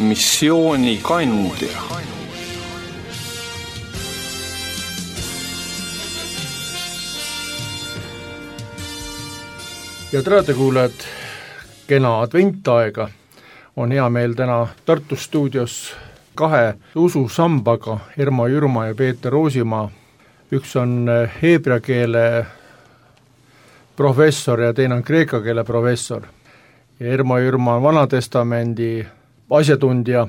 missiooni kandja. Ja raadiokuulajad, kena adventaega on hea meel täna Tartu stuudios kahe ususambaga, Ermo Jürma ja Peeter Roosimaa. Üks on heebrea keele professor ja teine on kreeka keele professor. Ja Ermo Jürma on Vanatestamendi asjatundja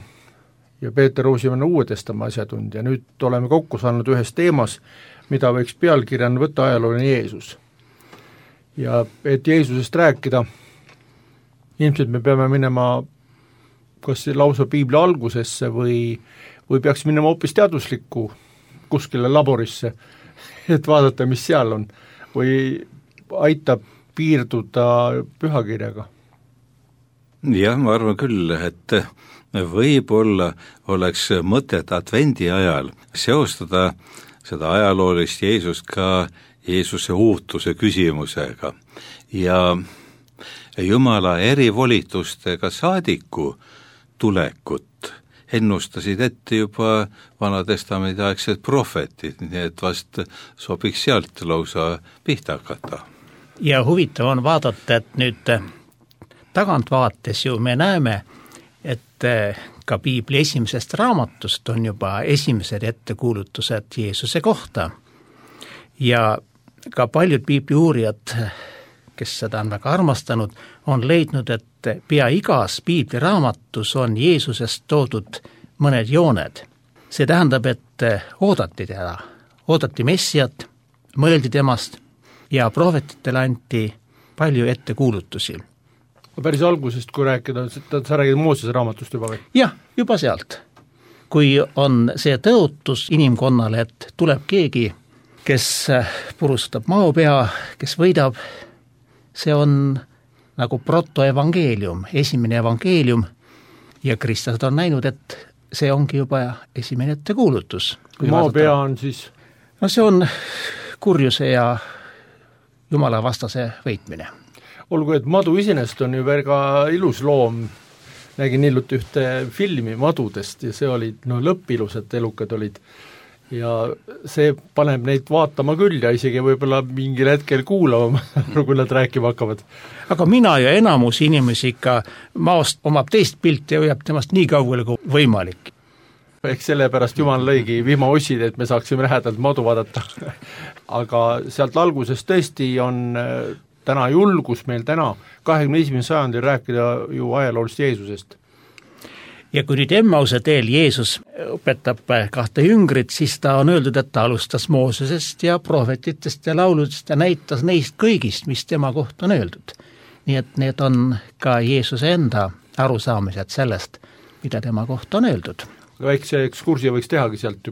ja Peeter Roosimaa on Uue Testamendi asjatundja. Nüüd oleme kokku saanud ühes teemas, mida võiks pealkirjana võtta ajalooline Jeesus. Ja et Jeesusest rääkida, ilmselt me peame minema kas lausa piibli algusesse või peaks minema hoopis teaduslikku kuskile laborisse, et vaadata, mis seal on, või aitab piirduda pühakirjaga. Jah, ma arvan küll, et võib-olla oleks mõtet advendi ajal seostada seda ajaloolist Jeesust ka Jeesuse uutuse küsimusega ja Jumala erivolitustega saadiku tulekut ennustasid ette juba Vanatestamendi aegsed prohvetid, nii et vast sobiks sealt lausa pihta hakata. Ja huvitav on vaadata, et nüüd tagantvaates ju me näeme, et ka piibli esimesest raamatust on juba esimesed ettekuulutused Jeesuse kohta ja ka paljud piibli uurijad, kes seda on väga armastanud, on leidnud, et pea igas piibli raamatus on Jeesusest toodud mõned jooned. See tähendab, et oodati teda, oodati Messiat, mõeldi temast ja prohvetitele anti palju ettekuulutusi. Päris algusest, kui rääkida, sa räägid Moosese raamatust juba või? Jah, juba sealt. Kui on see tõotus inimkonnale, et tuleb keegi, kes purustab maopea, kes võidab, see on nagu protoevangeelium, esimene evangeelium ja kristlased on näinud, et see ongi juba esimene ettekuulutus. Maopea on siis? No see on kurjuse ja Jumala vastase võitmine. Olgu, et madu iseenesest on ju väga ilus loom. Nägin hiljuti ühte filmi madudest ja see olid lõppilused elukad olid. Ja see paneb neid vaatama küll ja isegi võib-olla mingil hetkel kuulama, kui nad rääkima hakkavad. Aga mina ja enamus inimesi ikka maost omab teist pilti ja hoiab temast nii kaugele kui võimalik. Eks sellepärast Jumal lõigi vihmaossid, et me saaksime lähedalt madu vaadata. Aga sealt algusest tõesti on täna julgus meil täna 21. sajandil rääkida ju ajaloolist Jeesusest. Ja kui nüüd Emmause teel Jeesus õpetab kahte jüngrit, siis ta on öeldud, et ta alustas Moosesest ja prohvetitest ja lauludest ja näitas neist kõigist, mis tema kohta on öeldud. Nii et need on ka Jeesuse enda arusaamised sellest, mida tema kohta on öeldud. Väikse ekskursi võiks tehagi sealt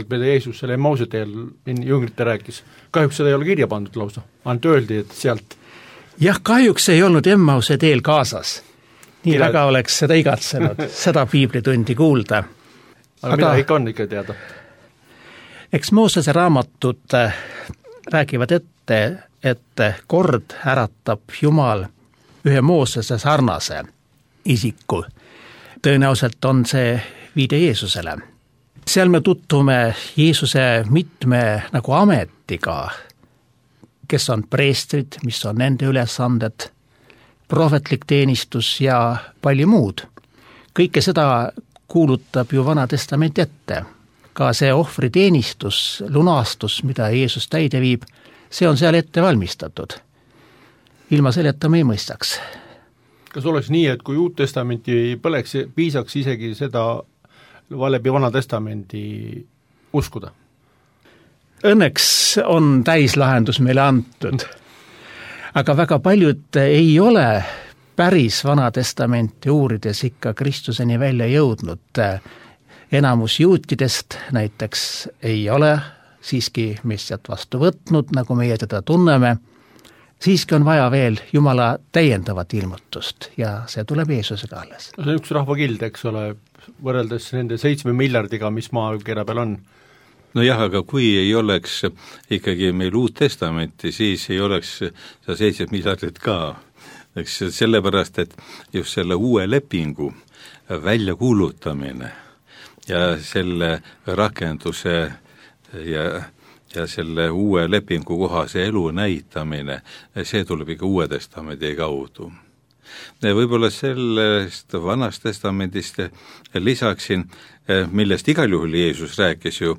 mida Jeesus selle Emmause teel jüngrite rääkis. Kahjuks seda ei ole kirja pandud lausa. Ainult öeldi, et sealt. Jah, kahjuks ei olnud Emmause teel kaasas. Nii väga oleks seda igatsenud, seda piiblitundi kuulda. Aga mida ikka on ikka teada? Eks Moosese raamatud räägivad ette, et kord äratab Jumal ühe Moosese sarnase isiku. Tõenäoliselt on see viide Jeesusele. Seal me tutvume Jeesuse mitme nagu ametiga, kes on preestrid, mis on nende ülesanded, prohvetlik teenistus ja palju muud. Kõike seda kuulutab ju Vanatestament ette. Ka see ohvriteenistus, lunastus, mida Jeesus täide viib, see on seal ette valmistatud. Ilma selleta me ei mõistaks. Kas oleks nii, et kui Uut Testamenti põleks, piisaks isegi seda läbi Vanatestamendi uskuda? Õnneks on täislahendus meile antud. Aga väga paljud ei ole päris Vanatestamenti uurides ikka Kristuseni välja jõudnud. Enamus juutidest näiteks ei ole siiski Messiat vastu võtnud, nagu meie teda tunneme. Siiski on vaja veel Jumala täiendavat ilmutust ja see tuleb Jeesusega alles. See on üks rahvakild, eks ole, võrreldes nende 7 miljardiga, mis maakera peal on. No jah, aga kui ei oleks ikkagi meil Uut Testamenti, siis ei oleks 7 miljardit ka. eks sellepärast, et just selle uue lepingu väljakuulutamine ja selle rakenduse ja selle uue lepingu kohase elu näitamine, see tuleb ikka Uue Testamendi kaudu. Võib-olla sellest Vanast Testamendist lisaksin, millest igal juhul Jeesus rääkis ju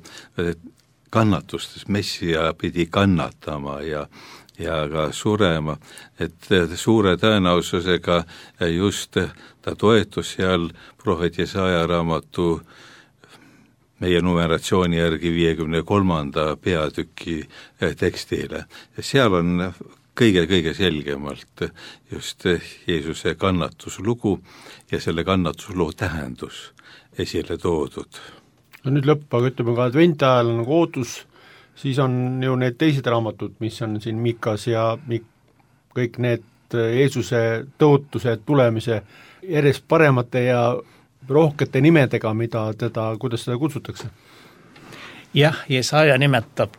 kannatustes, Messia pidi kannatama ja ka surema, et suure tõenäosusega just ta toetus seal prohvet Jesaja raamatu meie numeratsiooni järgi 53. peatüki tekstile. Ja seal on kõige selgemalt just Jeesuse kannatuslugu ja selle kannatusloo tähendus esile toodud. No nüüd lõpp, aga ütleme ka adventi ajal nagu ootus, siis on ju need teised raamatud, mis on siin Mikas ja kõik need Jeesuse tõotuse tulemise järjest paremate ja rohkete nimedega, kuidas seda kutsutakse? Jah, Jesaja nimetab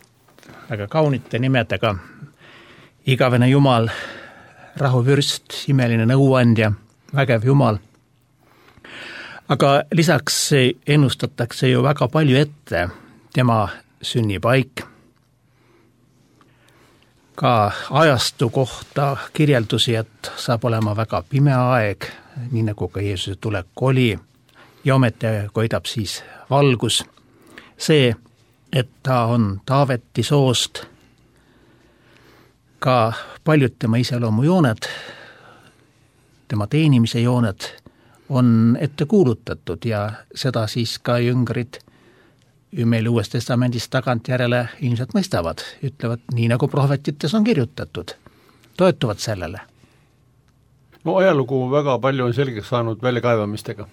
väga kaunite nimedega igavene Jumal, rahuvürst, imeline nõuandja, vägev Jumal. Aga lisaks ennustatakse ju väga palju ette tema sünnipaik. Ka ajastu kohta kirjeldusi, et saab olema väga pime aeg, nii nagu ka Jeesuse tulek oli, ja ometi koidab siis valgus. See, et ta on Taaveti soost, ka paljud tema iseloomujooned, tema teenimise jooned on ette kuulutatud ja seda siis ka jüngrid meil Uues Testamendis tagantjärele ilmselt mõistavad, ütlevad nii nagu prohvetites on kirjutatud, toetuvad sellele. No ajalugu väga palju on selgeks saanud väljakaevamistega.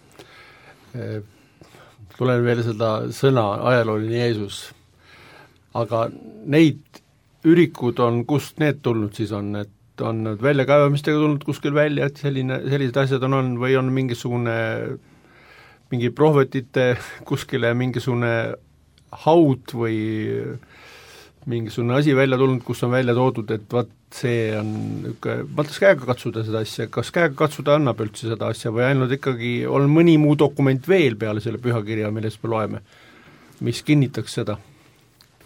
Tulen veel seda sõna ajalooline Jeesus, aga neid ürikud on, kust need tulnud siis on, et on need väljakaevamistega tulnud kuskil välja, et sellised asjad on või on mingi prohvetite kuskile mingisugune haud või mingisugune asi välja tulnud, kus on välja toodud, et vaat see on mõttes käega katsuda seda asja, kas käega katsuda annab üldse seda asja või ainult ikkagi on mõni muu dokument veel peale selle pühakirja, millest me loeme, mis kinnitaks seda?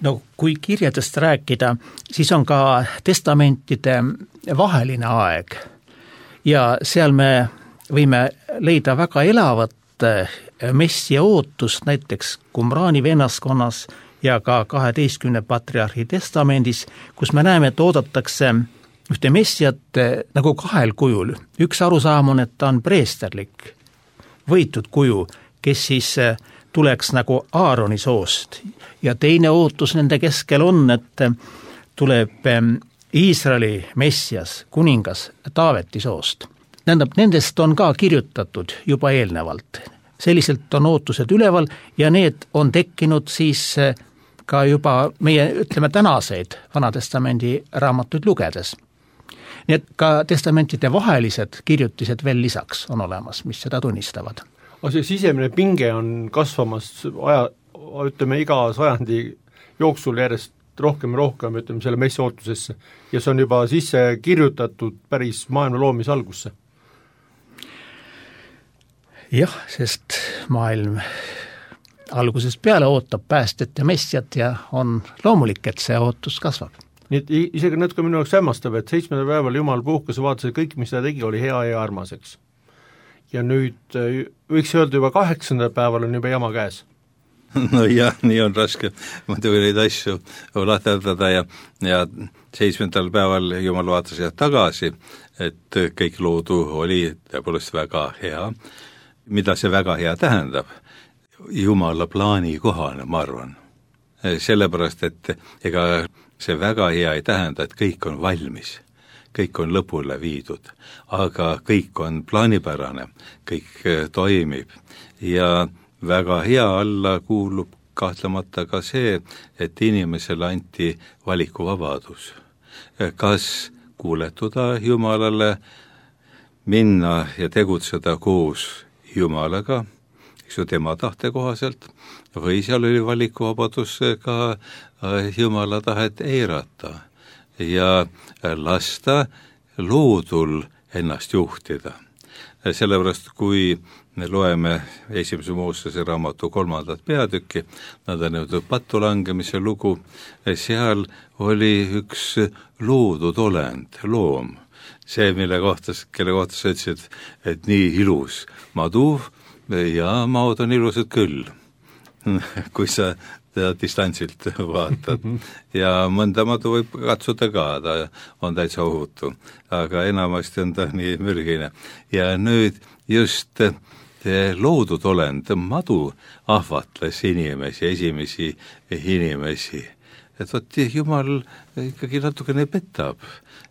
No kui kirjadest rääkida, siis on ka testamentide vaheline aeg ja seal me võime leida väga elavat messia ootust näiteks Qumrani vennaskonnas ja ka 12 patriarhi testamendis, kus me näeme, et oodatakse ühte messiat nagu kahel kujul. Üks arusaam on, et ta on preesterlik, võitud kuju, kes siis tuleks nagu Aaroni soost. Ja teine ootus nende keskel on, et tuleb Iisraeli messias, kuningas Taaveti soost. Tähendab, nendest on ka kirjutatud juba eelnevalt. Selliselt on ootused üleval ja need on tekkinud siis ka juba meie, ütleme, tänaseid Vanatestamendi raamatuid lugedes. Nii et ka testamentide vahelised kirjutised veel lisaks on olemas, mis seda tunnistavad. Aga see sisemine pinge on kasvamas iga sajandi jooksul järjest rohkem, ütleme, selle messia ootusesse ja see on juba sisse kirjutatud päris maailma loomise algusse. Jah, sest maailm algusest peale ootab päästet ja messiat ja on loomulik, et see ootus kasvab. Nii et isegi natuke minu jaoks hämmastab, et 7. päeval Jumal puhkas ja vaatas, et kõik, mis ta tegi, oli hea ja armaseks. Ja nüüd võiks öelda juba 8. päeval on juba jama käes. No jah, nii on raske muidugi neid asju lahterdada ja 7. päeval Jumal vaatas tagasi, et kõik loodu oli tõepoolest väga hea. Mida see väga hea tähendab? Jumala plaani kohane, ma arvan. Sellepärast, et ega see väga hea ei tähenda, et kõik on valmis. Kõik on lõpule viidud, aga kõik on plaanipärane, kõik toimib ja väga hea alla kuulub kahtlemata ka see, et inimesele anti valikuvabadus. Kas kuuletuda Jumalale, minna ja tegutseda koos Jumalaga, eks ju tema tahte kohaselt, või seal oli valikuvabadus ka Jumala tahet eirata ja lasta loodul ennast juhtida. Sellepärast, kui me loeme esimese Moosese raamatu 3. peatükki, nõndanimetatud patulangemise lugu, seal oli üks loodud olend, loom. See, kelle kohta sa ütlesid, et nii ilus madu ja maod on ilusad küll, kui sa teda distantsilt vaatad. Ja mõnda madu võib katsuda ka, ta on täitsa ohutu, aga enamasti on ta nii mürgine. Ja nüüd just loodud olend, madu ahvatles inimesi, esimesi inimesi. Et võt, Jumal ikkagi natukene petab,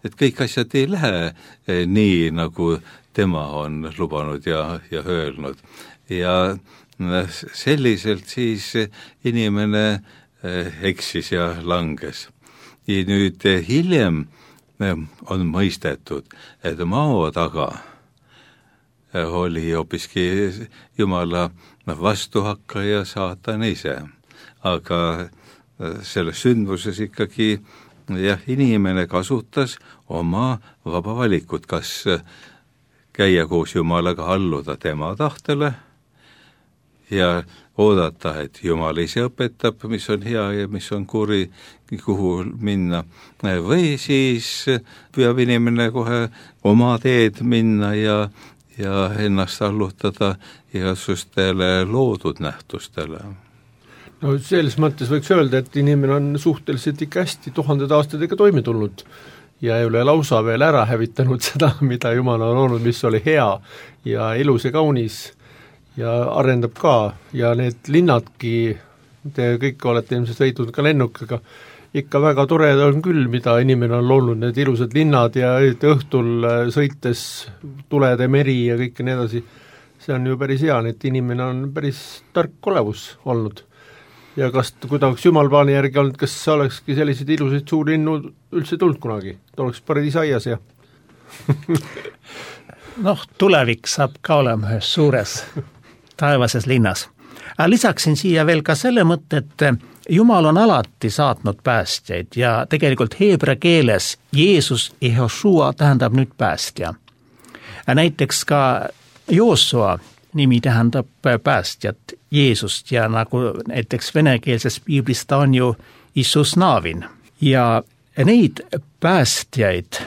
et kõik asjad ei lähe nii, nagu tema on lubanud ja öelnud. Ja selliselt siis inimene eksis ja langes. Ja nüüd hiljem on mõistetud, et mao taga oli hoopiski Jumala vastuhakkaja saatan ise. Aga selles sündmuses ikkagi inimene kasutas oma vaba valikut, kas käia koos Jumalaga, alluda tema tahtele ja oodata, et Jumal ise õpetab, mis on hea ja mis on kuri, kuhu minna. Või siis püüab inimene kohe oma teed minna ja ennast allutada igasugustele loodud nähtustele. No selles mõttes võiks öelda, et inimene on suhteliselt ikka hästi 1000 aastatega toime tulnud ja ei ole lausa veel ära hävitanud seda, mida Jumal on olnud, mis oli hea ja ilus ja kaunis ja arendab ka ja need linnadki, te kõik olete ilmselt sõitnud ka lennukiga, ikka väga tore on küll, mida inimene on loonud, need ilusad linnad ja õhtul sõites tulede meri ja kõik nii edasi. See on ju päris hea, et inimene on päris tark olevus olnud. Ja kas kuidagi Jumal plaani järgi olnud, kas olekski selliseid ilusaid suurlinnu üldse tulnud kunagi? Ta oleks paradiisaias ja tulevik saab ka olema ühes suures taevases linnas. Lisaksin siia veel ka selle mõtte, et Jumal on alati saatnud päästjaid ja tegelikult heebra keeles Jeesus Jehošua tähendab nüüd päästja. Näiteks ka Joosua nimi tähendab päästjat Jeesust ja nagu näiteks venekeelses piiblis ta on ju Isus Naavin. Ja neid päästjaid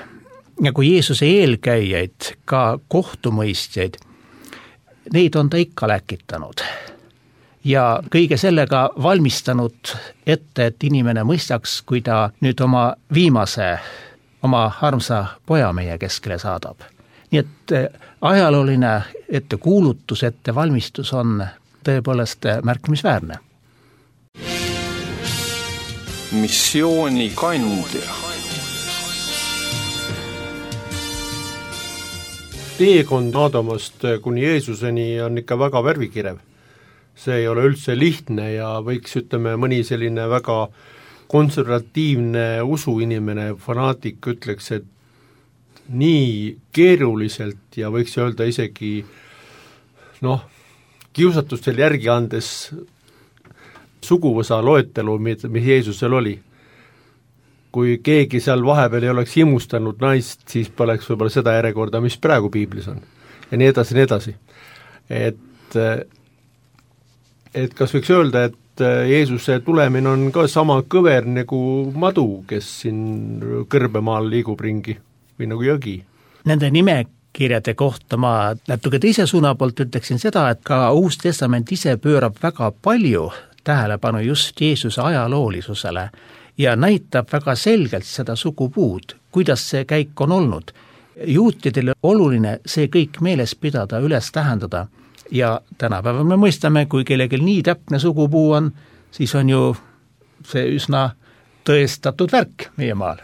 nagu Jeesuse eelkäijaid, ka kohtumõistjaid, neid on ta ikka läkitanud ja kõige sellega valmistanud ette, et inimene mõistaks, kui ta nüüd oma viimase, oma armsa poja meie keskele saadab. Nii et ajalooline ettekuulutus, ettevalmistus on tõepoolest märkimisväärne. Missiooni kandja. Teekond Aadamast kuni Jeesuseni on ikka väga värvikirev. See ei ole üldse lihtne ja võiks, mõni selline väga konservatiivne usuinimene, fanaatik ütleks, et nii keeruliselt ja võiks öelda isegi kiusatustel järgi andes suguvõsa loetelu, mis Jeesusel oli. Kui keegi seal vahepeal ei oleks himustanud naist, siis poleks võib-olla seda järjekorda, mis praegu piiblis on. Ja nii edasi, nii edasi. Et kas võiks öelda, et Jeesuse tulemine on ka sama kõver nagu madu, kes siin kõrbemaal liigub ringi või nagu jõgi? Nende nimekirjade kohta ma natuke teise suuna poolt ütleksin seda, et ka Uus Testament ise pöörab väga palju tähelepanu just Jeesuse ajaloolisusele ja näitab väga selgelt seda sugupuud, kuidas see käik on olnud. Juutidele oluline see kõik meeles pidada, üles tähendada ja tänapäeval me mõistame, kui kellelgi nii täpne sugupuu on, siis on ju see üsna tõestatud värk meie maal.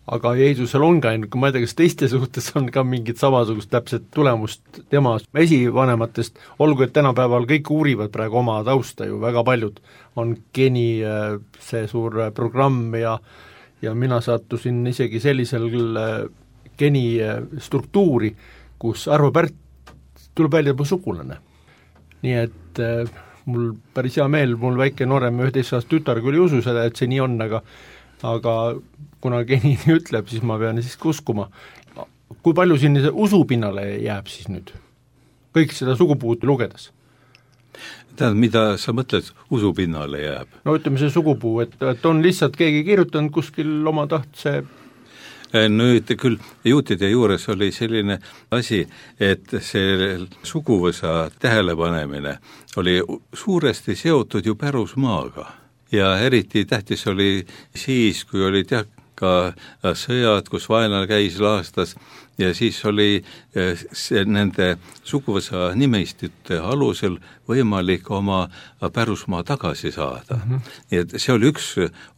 Aga Jeesusel on ka, kui ma ei tea, kas teiste suhtes on ka mingit samasugust täpset tulemust tema esivanematest, olgu, et tänapäeval kõik uurivad praegu oma tausta ju, väga paljud on geni see suur programm ja mina sattusin isegi sellisel geni struktuuri, kus Arvo Pärt tuleb välja mu sugulane. Nii et mul päris hea meel, mul väike noorem 11-aastast tütar küll ei usu seda, et see nii on, aga kuna geni ütleb, siis ma pean siiski uskuma. kui palju siin usupinnale jääb siis nüüd? Kõik seda sugupuud lugedes. Tähendab, mida sa mõtled usupinnale jääb? No ütleme see sugupuu, et on lihtsalt keegi kirjutanud kuskil oma tahtse. Nüüd küll juutide juures oli selline asi, et see suguvõsa tähelepanemine oli suuresti seotud ju pärusmaaga ja eriti tähtis oli siis, kui olid ka sõjad, kus vaenlane käis laastas ja siis oli nende suguvõsa nimistute alusel võimalik oma pärusmaa tagasi saada. Nii et see oli üks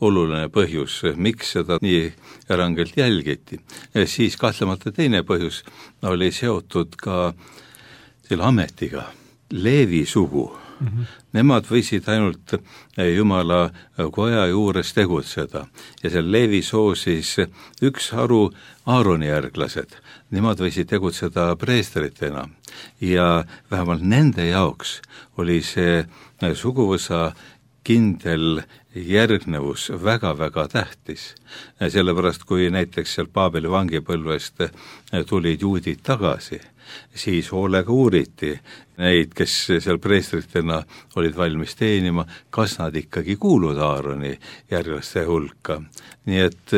oluline põhjus, miks seda nii rangelt jälgiti. Siis kahtlemata teine põhjus oli seotud ka selle ametiga, Leevi sugu. Nemad võisid ainult Jumala koja juures tegutseda ja seal Leevi soosis üks haru Aaroni järglased, nemad võisid tegutseda preestritena ja vähemalt nende jaoks oli see suguvõsa kindel järgnevus väga-väga tähtis. Sellepärast, kui näiteks seal Paabeli vangipõlvest tulid juudid tagasi, siis hoolega uuriti neid, kes seal preestritena olid valmis teenima, kas nad ikkagi kuuluvad Aaroni järglaste hulka. Nii et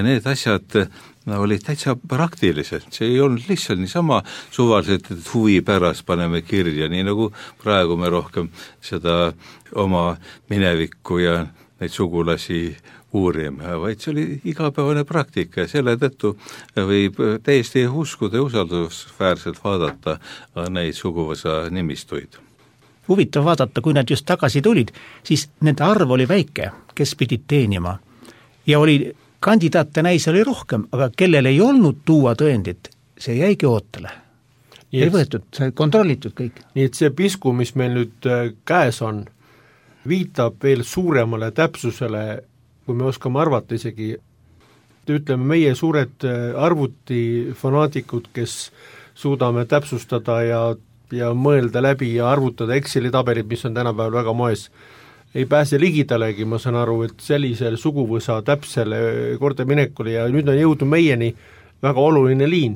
need asjad olid täitsa praktilised, see ei olnud lihtsalt niisama suvaliselt, et huvi pärast paneme kirja, nii nagu praegu me rohkem seda oma minevikku ja neid sugulasi uurime, vaid see oli igapäevane praktika ja selle tõttu võib täiesti uskuda ja usaldusväärselt vaadata neid suguvõsa nimistuid. Huvitav vaadata, kui nad just tagasi tulid, siis nende arv oli väike, kes pidid teenima ja oli kandidaate näis oli rohkem, aga kellel ei olnud tuua tõendit, see jäigi ootele. Ei võetud, see kontrollitud kõik. Nii et see pisku, mis meil nüüd käes on, viitab veel suuremale täpsusele, kui me oskame arvata isegi, ütleme meie suured arvutifanatikud, kes suudame täpsustada ja mõelda läbi ja arvutada Exceli tabelid, mis on tänapäeval väga moes, ei pääse ligidalegi, ma saan aru, et sellisel suguvõsa täpsele kordaminekule ja nüüd on jõudnud meieni väga oluline liin,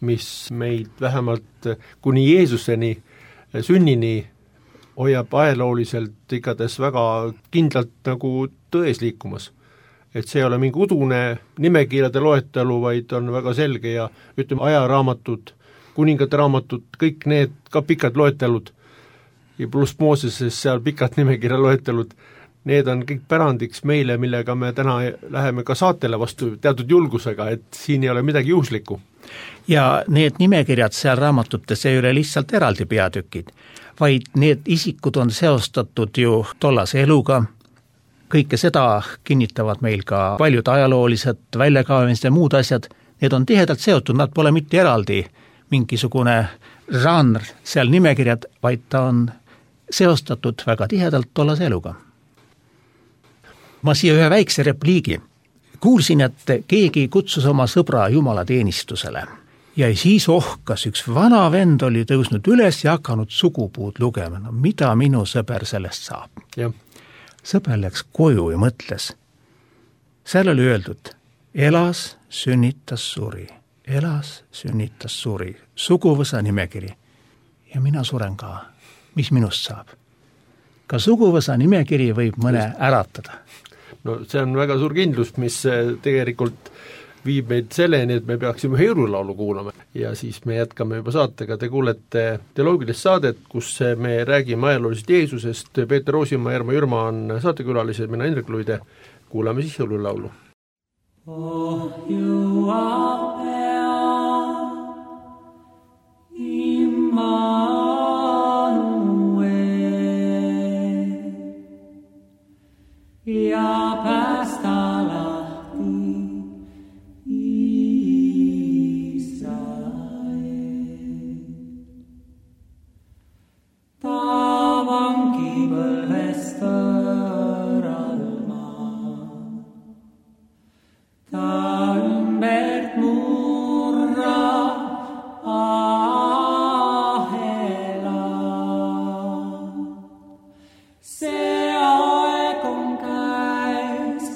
mis meid vähemalt kuni Jeesuseni sünnini hoiab ajalooliselt igatahes väga kindlalt nagu tões liikumas. Et see ei ole mingi udune nimekirjade loetelu, vaid on väga selge ja ütleme ajaraamatud, kuningate raamatud, kõik need ka pikad loetelud ja pluss Mooseses seal pikad nimekirja loetelud, need on kõik pärandiks meile, millega me täna läheme ka saatele vastu teatud julgusega, et siin ei ole midagi juhuslikku. Ja need nimekirjad seal raamatutes ei ole lihtsalt eraldi peatükid, vaid need isikud on seostatud ju tollase eluga, kõike seda kinnitavad meil ka paljud ajaloolised väljakaevamised ja muud asjad, need on tihedalt seotud, nad pole mitte eraldi mingisugune žanr seal nimekirjad, vaid ta on seostatud väga tihedalt tollase eluga. Ma siia ühe väikse repliigi. Kuulsin, et keegi kutsus oma sõbra jumalateenistusele ja siis ohkas, üks vana vend oli tõusnud üles ja hakanud sugupuud lugema. No mida minu sõber sellest saab? Ja. Sõber läks koju ja mõtles. Seal oli öeldud, elas, sünnitas, suri. Elas, sünnitas, suri. Suguvõsa nimekiri. Ja mina suren ka. Mis minust saab? Ka suguvõsa nimekiri võib mõne äratada. No see on väga suur kindlus, mis tegelikult viib meid selleni, et me peaksime jõululaulu kuulama ja siis me jätkame juba saatega. Te kuulete teoloogilist saadet, kus me räägime ajaloolisest Jeesusest. Peeter Roosimaa ja Ermo Jürma on saatekülalised, mina Indrek Luide. Kuulame siis jõululaulu. Oh, you are ja päästa lahti Israel. Ta vangipõlvest võõralma, ta ümbert murra ahela. See aeg on käes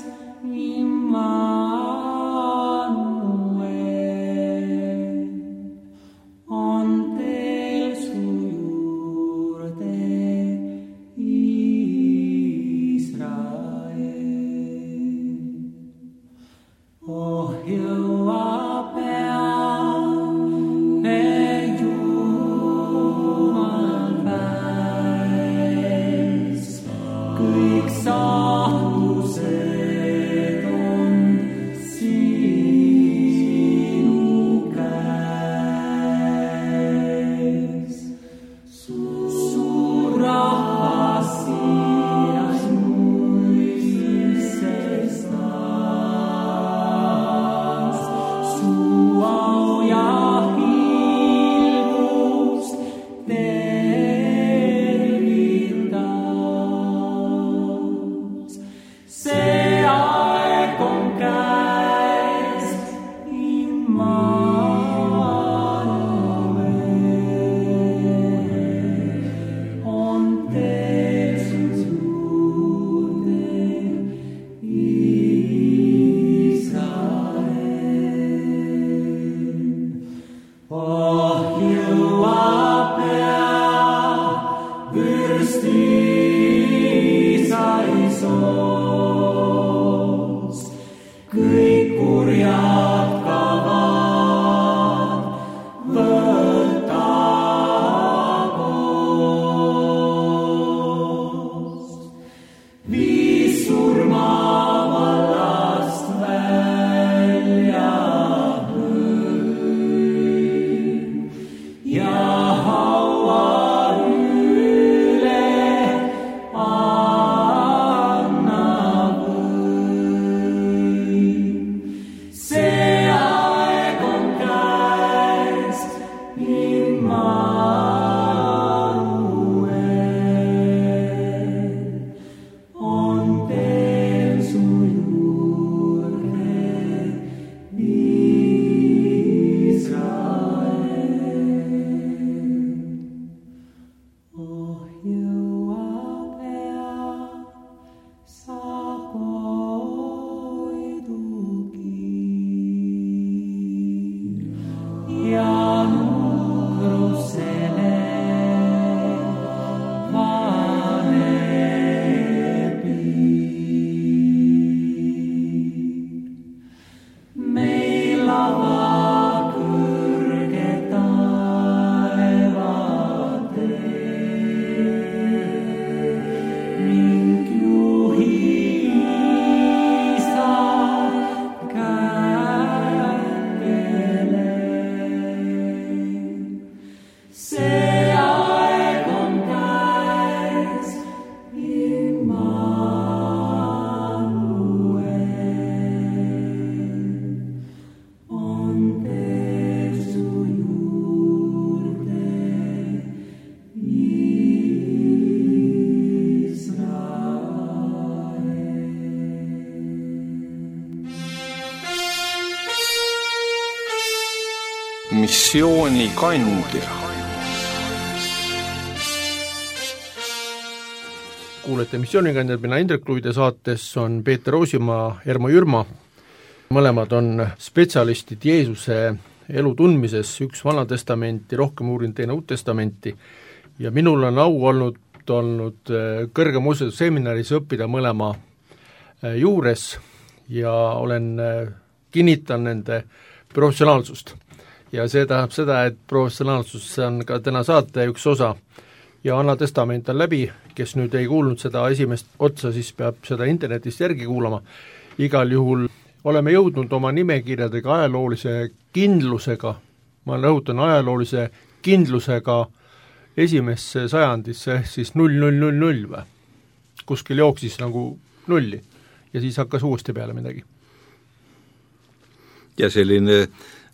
missioonikandja. Kuulete missioonikandjad, mina Indrek Luide, saates on Peeter Roosimaa, Ermo Jürma. Mõlemad on spetsialistid Jeesuse elu tundmises, üks Vana Testamenti, rohkem uurinud, teine Uut Testamenti, ja minul on au olnud kõrge muuseseminaris õppida mõlema juures ja kinnitan nende professionaalsust. Ja see tähendab seda, et professionaalsus on ka täna saate üks osa ja Vana Testament on läbi, kes nüüd ei kuulnud seda esimest otsa, siis peab seda internetist järgi kuulama. Igal juhul oleme jõudnud oma nimekirjadega ajaloolise kindlusega, ma rõhutan ajaloolise kindlusega esimesse sajandisse, siis 0000 või? Kuskil jooksis nagu nulli ja siis hakkas uuesti peale midagi. Ja selline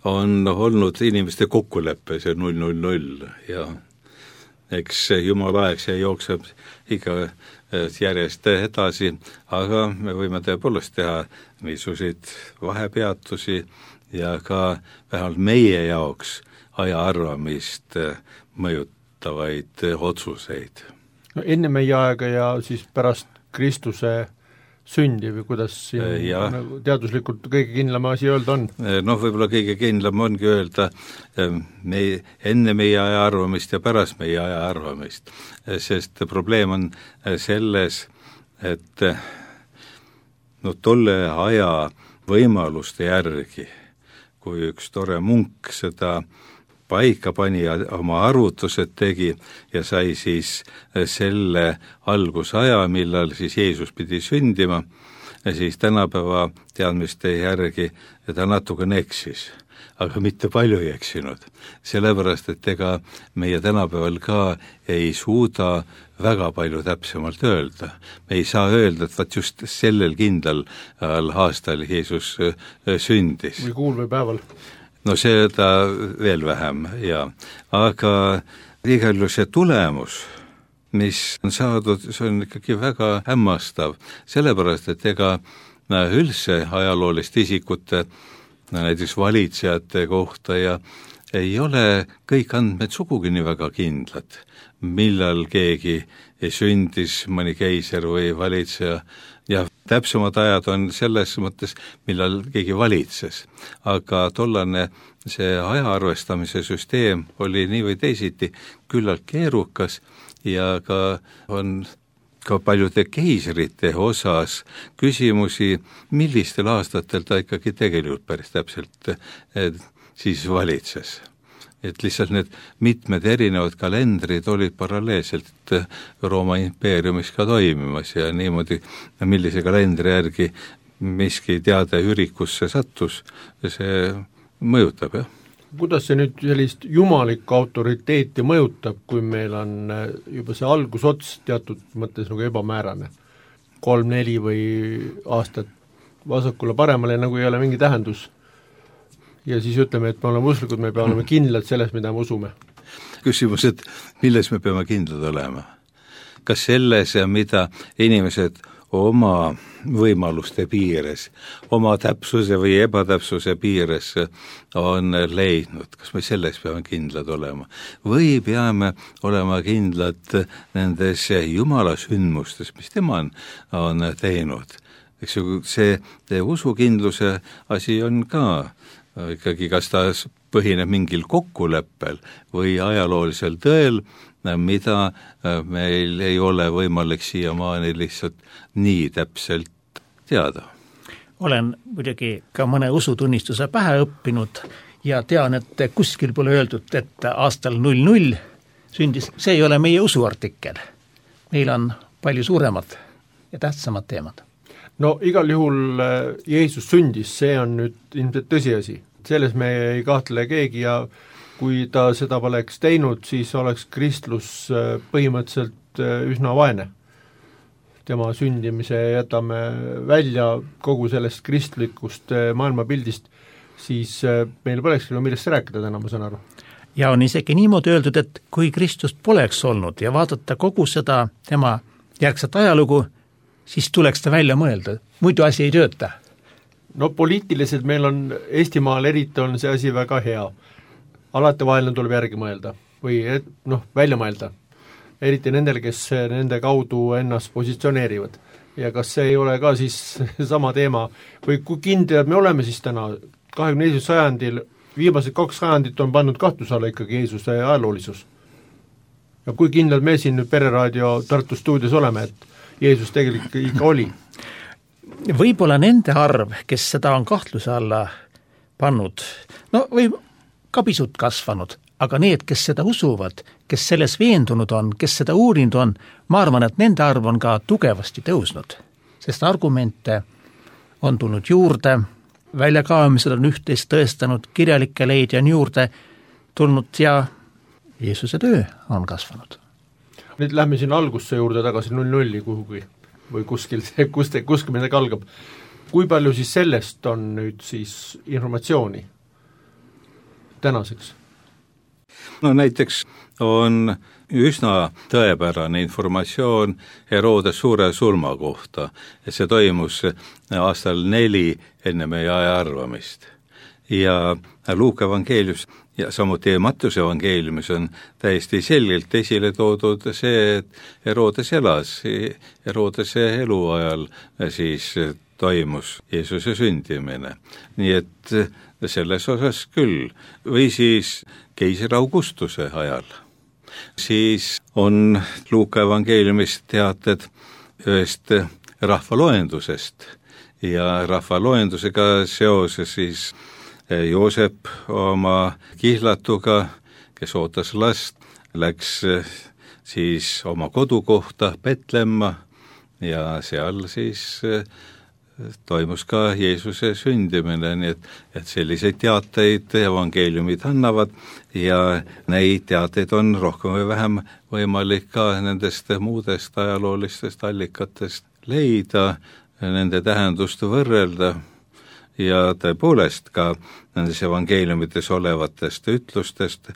on olnud inimeste kokkuleppe, see 000 ja eks Jumala aeg see jookseb ikka järjest edasi, aga me võime tõepoolest teha niisuguseid vahepeatusi ja ka vähemalt meie jaoks aja arvamist mõjutavaid otsuseid. No enne meie aega ja siis pärast Kristuse sündi või kuidas siin teaduslikult kõige kindlam asi öelda on? Võib-olla kõige kindlam ongi öelda enne meie aja arvamist ja pärast meie aja arvamist, sest probleem on selles, et tolle aja võimaluste järgi, kui üks tore munk seda paika pani ja oma arvutused tegi ja sai siis selle algusaja, millal siis Jeesus pidi sündima, siis tänapäeva teadmiste järgi ta natukene eksis, aga mitte palju ei eksinud. Sellepärast, et ega meie tänapäeval ka ei suuda väga palju täpsemalt öelda. Me ei saa öelda, et vaat just sellel kindlal aastal Jeesus sündis. Või kuul või päeval. Seda veel vähem, aga igal juhul see tulemus, mis on saadud, see on ikkagi väga hämmastav, sellepärast, et ega üldse ajalooliste isikute, näiteks valitsejate kohta ja ei ole kõik andmed sugugi nii väga kindlad, millal keegi sündis, mõni keiser või valitseja, ja täpsemad ajad on selles mõttes, millal keegi valitses. Aga tollane see aja arvestamise süsteem oli nii või teisiti küllalt keerukas ja ka on ka paljude keisrite osas küsimusi, millistel aastatel ta ikkagi tegelikult päris täpselt siis valitses. Et lihtsalt need mitmed erinevad kalendrid olid paralleelselt Rooma impeeriumis ka toimimas ja niimoodi, millise kalendri järgi miski teade ürikusse sattus, see mõjutab, jah. Kuidas see nüüd sellist jumalikku autoriteeti mõjutab, kui meil on juba see algusots teatud mõttes nagu ebamäärane? 3-4 või aastat vasakule paremale nagu ei ole mingi tähendus. Ja siis ütleme, et me oleme usklikud, me peame olema kindlad selles, mida me usume. Küsimus, et milles me peame kindlad olema? Kas selles, mida inimesed oma võimaluste piires, oma täpsuse või ebatäpsuse piires on leidnud? Kas me selles peame kindlad olema? Või peame olema kindlad nendes Jumala sündmustes, mis tema on teinud? Eks ju, see usukindluse asi on ka ikkagi, kas ta põhineb mingil kokkuleppel või ajaloolisel tõel, mida meil ei ole võimalik siiamaani lihtsalt nii täpselt teada. Olen muidugi ka mõne usutunnistuse pähe õppinud ja tean, et kuskil pole öeldud, et aastal 00 sündis, see ei ole meie usuartikkel. Meil on palju suuremad ja tähtsamad teemad. Igal juhul Jeesus sündis, see on nüüd ilmselt tõsiasi. Selles me ei kahtle keegi ja kui ta seda poleks teinud, siis oleks kristlus põhimõtteliselt üsna vaene. Tema sündimise jätame välja kogu sellest kristlikust maailmapildist, siis meil polekski millest rääkida täna, ma saan aru. Ja on isegi niimoodi öeldud, et kui Kristust poleks olnud ja vaadata kogu seda tema järgset ajalugu, siis tuleks ta välja mõelda, muidu asi ei tööta. Poliitiliselt meil on Eestimaal eriti on see asi väga hea. alati vaheline tuleb järgi mõelda või välja mõelda, eriti nendel, kes nende kaudu ennast positsioneerivad. Ja kas see ei ole ka siis sama teema või kui kindlad me oleme siis täna 21. sajandil, viimased 2 sajandit on pannud kahtluse alla ikkagi Jeesuse ajaloolisus. Ja kui kindlad me siin nüüd Pereraadio Tartu stuudios oleme, et Jeesus tegelikult ikka oli? Võib-olla nende arv, kes seda on kahtluse alla pannud, või ka pisut kasvanud, aga need, kes seda usuvad, kes selles veendunud on, kes seda uurinud on, ma arvan, et nende arv on ka tugevasti tõusnud, sest argumente on tulnud juurde, väljakaemised on üht-teist tõestanud, kirjalikke leidja on juurde tulnud ja Jeesuse töö on kasvanud. Nüüd lähme siin algusse juurde tagasi 0-0 kuhugi või kuskil midagi algab. Kui palju siis sellest on nüüd siis informatsiooni tänaseks? Näiteks on üsna tõepärane informatsioon Herodes suure surma kohta, et see toimus aastal 4 enne meie aja arvamist. Ja Luuka evangeelius ja samuti Mattuse evangeeliumis on täiesti selgelt esile toodud see, et Herodes elas, Herodese eluajal siis toimus Jeesuse sündimine. Nii et selles osas küll. Või siis keisri Augustuse ajal. Siis on Luuka evangeeliumis teated ühest rahvaloendusest ja rahvaloendusega seoses siis Joosep oma kihlatuga, kes ootas last, läks siis oma kodukohta Petlemma ja seal siis toimus ka Jeesuse sündimine, nii et selliseid teateid evangeeliumid annavad ja neid teateid on rohkem või vähem võimalik ka nendest muudest ajaloolistest allikatest leida, nende tähendust võrrelda. Ja tõepoolest ka nendes evangeeliumites olevatest ütlustest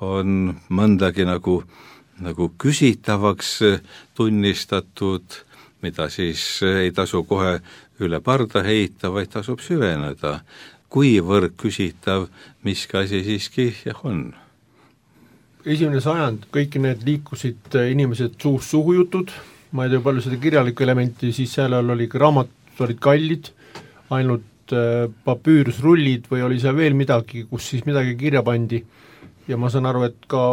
on mõndagi nagu küsitavaks tunnistatud, mida siis ei tasu kohe üle parda heita, vaid tasub süveneda. Kuivõrd küsitav, miski asi siiski on? 1. sajand, kõik need liikusid inimesed suust suhu jutud, ma ei tea palju seda kirjalikku elementi, siis seal oli raamatud olid kallid, ainult papüürusrullid või oli seal veel midagi, kus siis midagi kirja pandi ja ma saan aru, et ka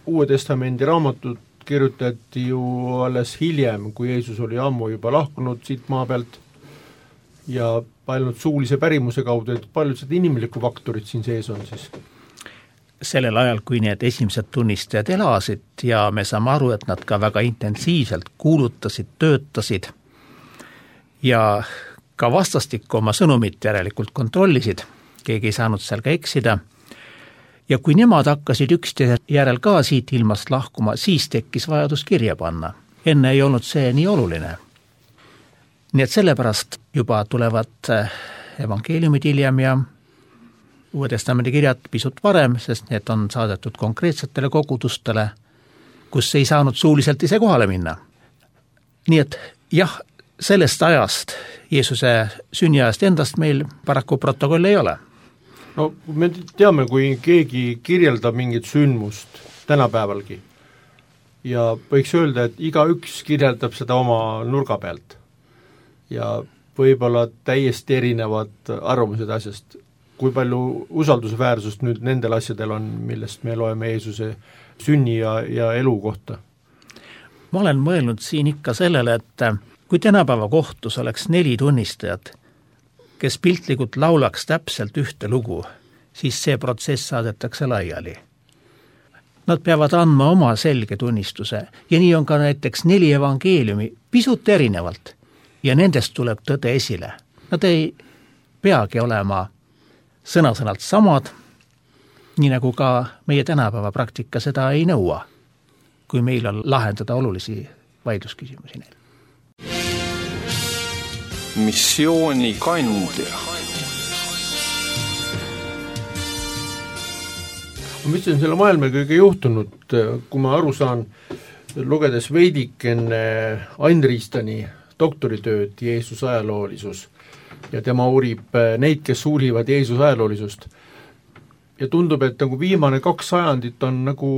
Uue Testamendi raamatud kirjutati ju alles hiljem, kui Jeesus oli ammu juba lahkunud siit maa pealt ja ainult suulise pärimuse kaudu, et paljud seda inimlikku faktorit siin sees on siis? Sellel ajal, kui need esimesed tunnistajad elasid ja me saame aru, et nad ka väga intensiivselt kuulutasid, töötasid ja ka vastastikku oma sõnumit järelikult kontrollisid, keegi ei saanud seal ka eksida. Ja kui nemad hakkasid üksteise järel ka siit ilmast lahkuma, siis tekkis vajadus kirja panna. Enne ei olnud see nii oluline. Nii et sellepärast juba tulevad evangeeliumid hiljem ja Uue Testamendi kirjad pisut varem, sest need on saadetud konkreetsetele kogudustele, kus ei saanud suuliselt ise kohale minna. Nii et jah, sellest ajast, Jeesuse sünniajast endast meil paraku protokolli ei ole. No me teame, kui keegi kirjeldab mingit sündmust tänapäevalgi ja võiks öelda, et igaüks kirjeldab seda oma nurga pealt ja võib-olla täiesti erinevad arvamused asjast. Kui palju usaldusväärsust nüüd nendel asjadel on, millest me loeme Jeesuse sünni ja elu kohta? Ma olen mõelnud siin ikka sellele, et kui tänapäeva kohtus oleks 4 tunnistajat, kes piltlikult laulaks täpselt ühte lugu, siis see protsess saadetakse laiali. Nad peavad andma oma selge tunnistuse ja nii on ka näiteks 4 evangeeliumi pisut erinevalt ja nendest tuleb tõde esile. Nad ei peagi olema sõna-sõnalt samad, nii nagu ka meie tänapäeva praktika seda ei nõua, kui meil on lahendada olulisi vaidlusküsimusi neil. Missioonikandja. Mis on selle maailma kõige juhtunud, kui ma aru saan, lugedes veidik enne Ain Riistani doktoritööd Jeesuse ajaloolisus ja tema uurib neid, kes uurivad Jeesuse ajaloolisust. ja tundub, et nagu viimane 2 sajandit on nagu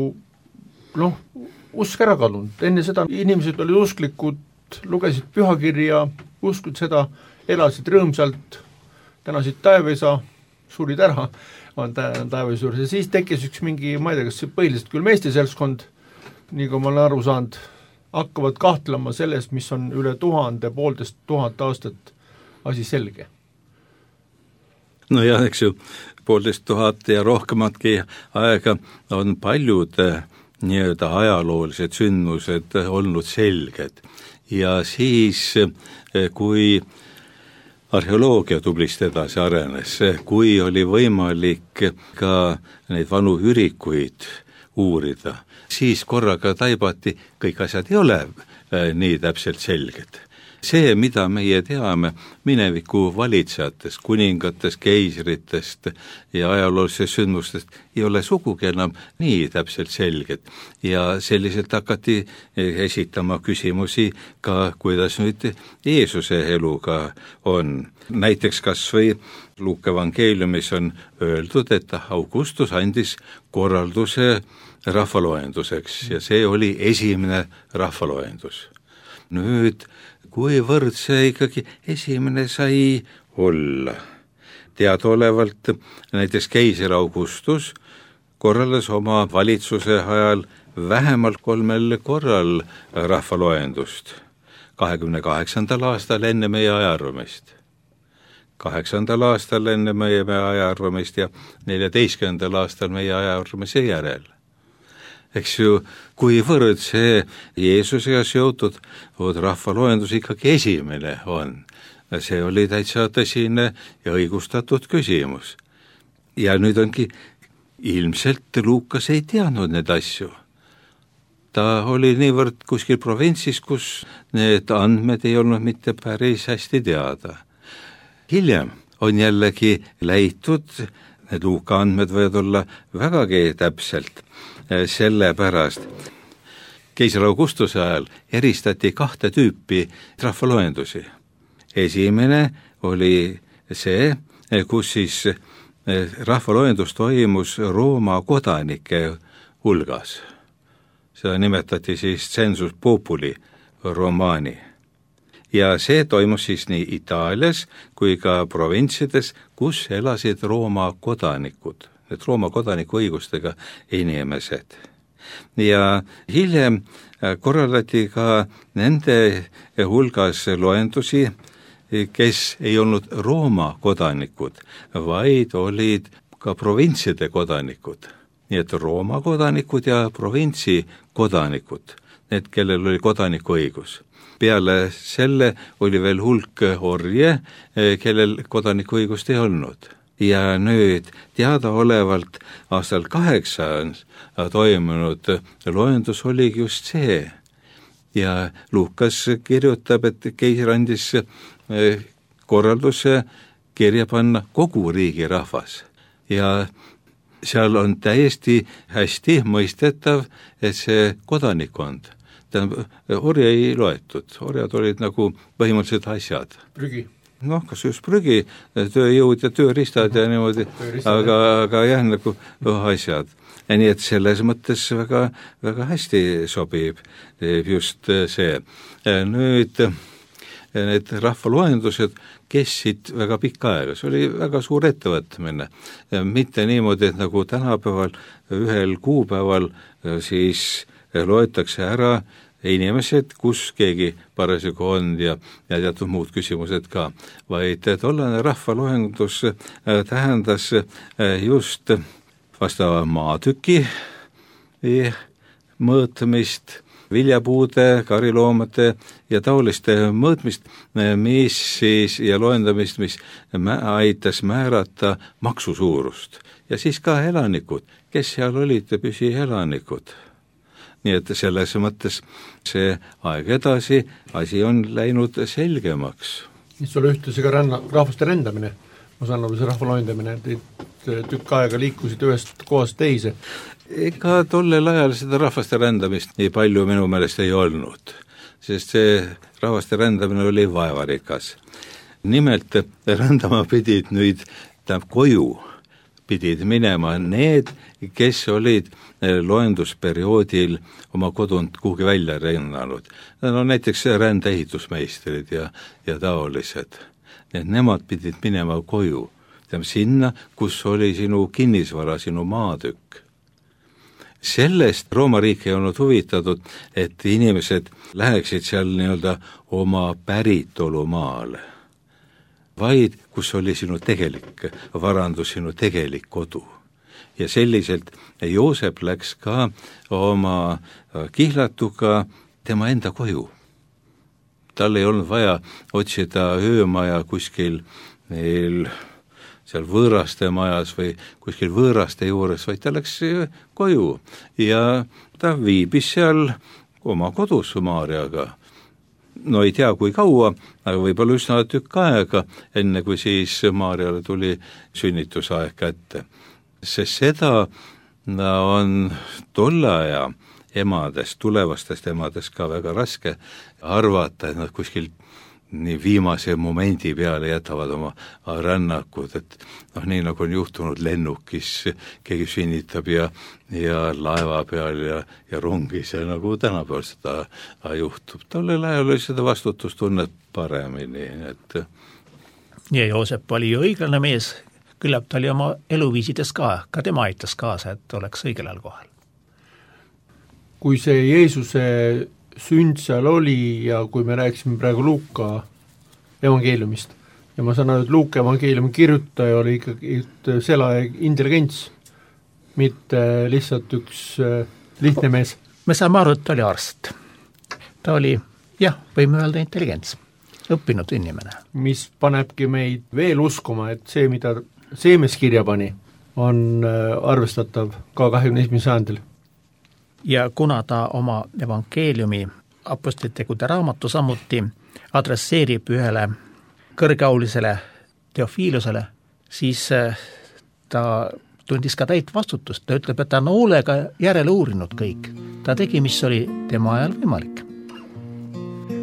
usk ära kadunud, enne seda inimesed olid usklikud, lugesid pühakirja, uskud seda, elasid rõõmsalt, tänasid taevaisa, surid ära, on taevaisa juures ja siis tekkis üks mingi, ma ei tea, kas põhiliselt küll meeste seltskond, nii kui ma olen aru saanud, hakkavad kahtlema sellest, mis on üle 1000 aastat asi selge. No jah, eks ju, 1500 ja rohkematki aega on paljud nii-öelda ajaloolised sündmused olnud selged ja siis, kui arheoloogia tublisti edasi arenes, kui oli võimalik ka neid vanu ürikuid uurida, siis korraga taibati, kõik asjad ei ole nii täpselt selged. See, mida meie teame mineviku valitsejatest, kuningatest, keisritest ja ajaloolistest sündmustest, ei ole sugugi enam nii täpselt selged. Ja selliselt hakati esitama küsimusi ka, kuidas nüüd Jeesuse eluga on. Näiteks kas või Luuka evangeeliumis on öeldud, et Augustus andis korralduse rahvaloenduseks ja see oli esimene rahvaloendus. Nüüd kuivõrd see ikkagi esimene sai olla. Teadaolevalt näiteks keiser Augustus korraldas oma valitsuse ajal vähemalt 3 korral rahvaloendust. 28. aastal enne meie ajaarvamist, 8. aastal enne meie ajaarvamist ja 14. aastal meie ajaarvamise järel. Eks ju, kuivõrd see Jeesusega seotud rahvaloendus ikkagi esimene on. See oli täitsa tõsine ja õigustatud küsimus. Ja nüüd ongi, ilmselt Luukas ei teadnud need asju. Ta oli niivõrd kuskil provintsis, kus need andmed ei olnud mitte päris hästi teada. Hiljem on jällegi leitud, need Luuka andmed võivad olla vägagi täpselt, sellepärast keiser Augustuse ajal eristati 2 tüüpi rahvaloendusi. Esimene oli see, kus siis rahvaloendus toimus Rooma kodanike hulgas. Seda nimetati siis census populi romani. Ja see toimus siis nii Itaalias kui ka provintsides, kus elasid Rooma kodanikud. Need Rooma kodaniku õigustega inimesed. Ja hiljem korraldati ka nende hulgas loendusi, kes ei olnud Rooma kodanikud, vaid olid ka provintside kodanikud. Nii et Rooma kodanikud ja provintsi kodanikud, need, kellel oli kodanikuõigus. Peale selle oli veel hulk orje, kellel kodanikuõigust ei olnud. Ja nüüd teadaolevalt aastal 8 toimunud loendus oligi just see. Ja Luukas kirjutab, et keiser andis korralduse kirja panna kogu riigi rahvas. Ja seal on täiesti hästi mõistetav, et see kodanikkond, orja ei loetud, orjad olid nagu põhimõtteliselt asjad. Prügi. Kas just prügi, tööjõud ja tööriistad ja niimoodi, aga jah, nagu asjad. Ja nii et selles mõttes väga, väga hästi sobib just see. Nüüd need rahvaloendused kestsid väga pikka aega, see oli väga suur ettevõtmine. Mitte niimoodi, et nagu tänapäeval ühel kuupäeval siis loetakse ära inimesed, kus keegi parasjagu on ja teatud muud küsimused ka, vaid tollane rahvaloendus tähendas just vastava maatüki mõõtmist, viljapuude, kariloomade ja taoliste mõõtmist, mis siis ja loendamist, mis aitas määrata maksusuurust. Ja siis ka elanikud, kes seal olid püsielanikud. Nii et selles mõttes see aeg edasi, asi on läinud selgemaks. Mis oli ühtlasi ka rahvaste rändamine, ma saan aru, see rahvaloendamine, et tükk aega liikusid ühest kohast teise. Ega tollel ajal seda rahvaste rändamist nii palju minu meelest ei olnud, sest see rahvaste rändamine oli vaevarikas. Nimelt rändama pidid nüüd koju pidid minema need, kes olid loendusperioodil oma kodunt kuhugi välja rännanud. No näiteks rändeehitusmeistrid ja taolised. Nemad pidid minema koju, sinna, kus oli sinu kinnisvara, sinu maatükk. Sellest Rooma riik ei olnud huvitatud, et inimesed läheksid seal nii-öelda oma päritolumaale, vaid kus oli sinu tegelik varandus, sinu tegelik kodu. Ja selliselt Joosep läks ka oma kihlatuga tema enda koju. Tal ei olnud vaja otsida öömaja kuskil neil seal võõraste majas või kuskil võõraste juures, vaid ta läks koju ja ta viibis seal oma kodus Maarjaga. No ei tea, kui kaua, aga võib-olla üsna tükk aega, enne kui siis Maarjale tuli sünnitusaeg kätte. Sest seda on tolle aja emadest, tulevastest emadest ka väga raske arvata, et nad kuskil nii viimase momendi peale jätavad oma rännakud, et nii nagu on juhtunud lennukis, keegi sünnitab ja laeva peal ja rongis ja nagu tänapäeval seda juhtub. Tollel ajal oli seda vastutustunnet paremini, et ja Joosep oli ju õiglane mees, küllap ta oli oma eluviisides ka tema aitas kaasa, et oleks õigel ajal kohal. Kui see Jeesuse sünd seal oli ja kui me rääkisime praegu Luuka evangeeliumist ja ma saan aru, et Luuka evangeeliumi kirjutaja oli ikkagi selle intelligents, mitte lihtsalt üks lihtne mees. Me saame aru, et ta oli arst. Ta oli, võime öelda intelligents, õppinud inimene. Mis panebki meid veel uskuma, et see, mida Seemes kirja pani, on arvestatav ka 21. sajandil. Ja kuna ta oma evangeeliumi apostlitegude raamatu samuti adresseerib ühele kõrgeaulisele Teofiilusele, siis ta tundis ka täit vastutust. Ta ütleb, et ta on hoolega järele uurinud kõik. Ta tegi, mis oli tema ajal võimalik.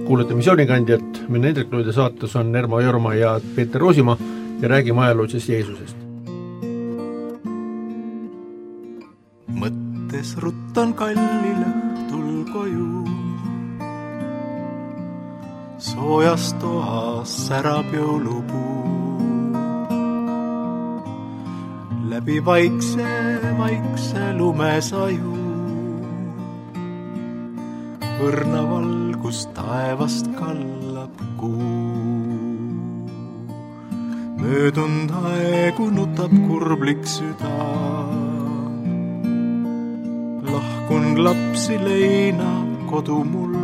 Kuulete missioonikandjat, meil Hendrik-Luide saates on Ermo Jorma ja Peeter Roosimaa ja räägime ajaloolisest Jeesusest. Mõttes ruttan kallil õhtul koju, soojas toas särab jõulupuu. Läbi vaikse lumesaju, õrna valgus taevast kallab kuu. Möödund aegu nutab kurblik süda, lahkun lapsi leina kodu mul.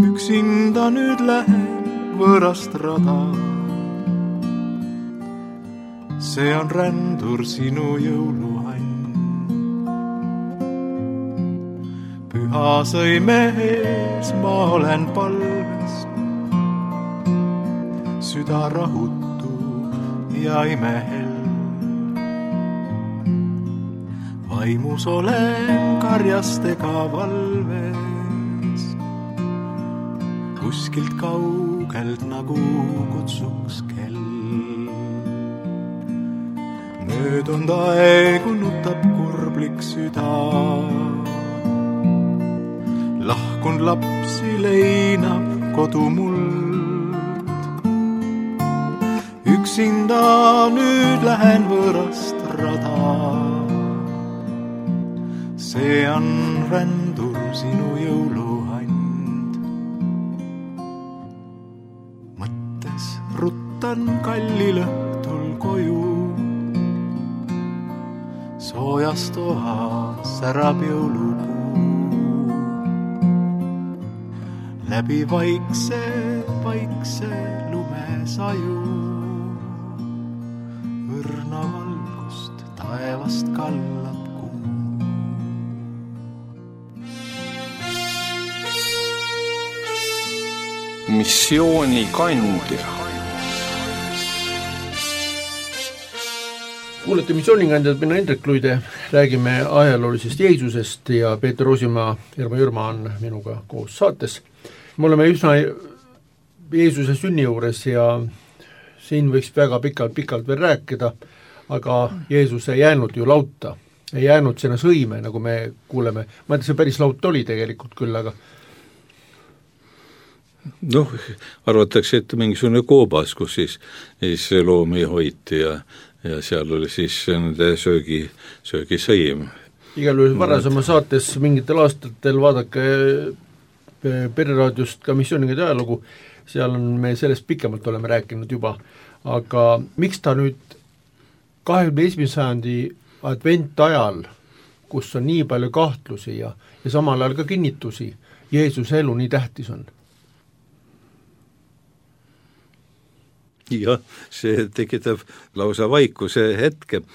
Üksinda nüüd lähen võõrast rada, see on rändur sinu jõuluann. Püha sõime ees ma olen palves, süda rahutu ja imehel. Vaimus olen karjastega valves, kuskilt kaugelt nagu kutsuks kell. Möödund aegu nutab kurblik süda, lahkun lapsi leinab kodu muld. Üksinda nüüd lähen võõrast rada, see on rändur sinu jõuluand. Mõttes ruttan kallil õhtul koju, soojas toas särab jõulupuu. Läbi vaikse lumesaju, õrna valgust taevast kallab. Missioonikandja. Kuulete missioonikandjat, mina Hendrik-Luide, räägime ajaloolisest Jeesusest ja Peeter Roosimaa, Ermo Jürma on minuga koos saates. Me oleme üsna Jeesuse sünni juures ja siin võiks väga pikalt veel rääkida, aga Jeesus ei jäänud ju lauta, ei jäänud sinna sõime, nagu me kuuleme, ma ei tea, see päris laut oli tegelikult küll, aga noh, arvatakse, et mingisugune koobas, kus siis loomi hoiti ja seal oli siis nende söögisõim. Igal juhul varasema saates mingitel aastatel vaadake Pereraadiost ka missiooningide ajalugu, seal on me sellest pikemalt oleme rääkinud juba, aga miks ta nüüd 21. sajandi adventajal, kus on nii palju kahtlusi ja samal ajal ka kinnitusi, Jeesuse elu nii tähtis on? Jah, see tekitab lausa vaikuse hetke.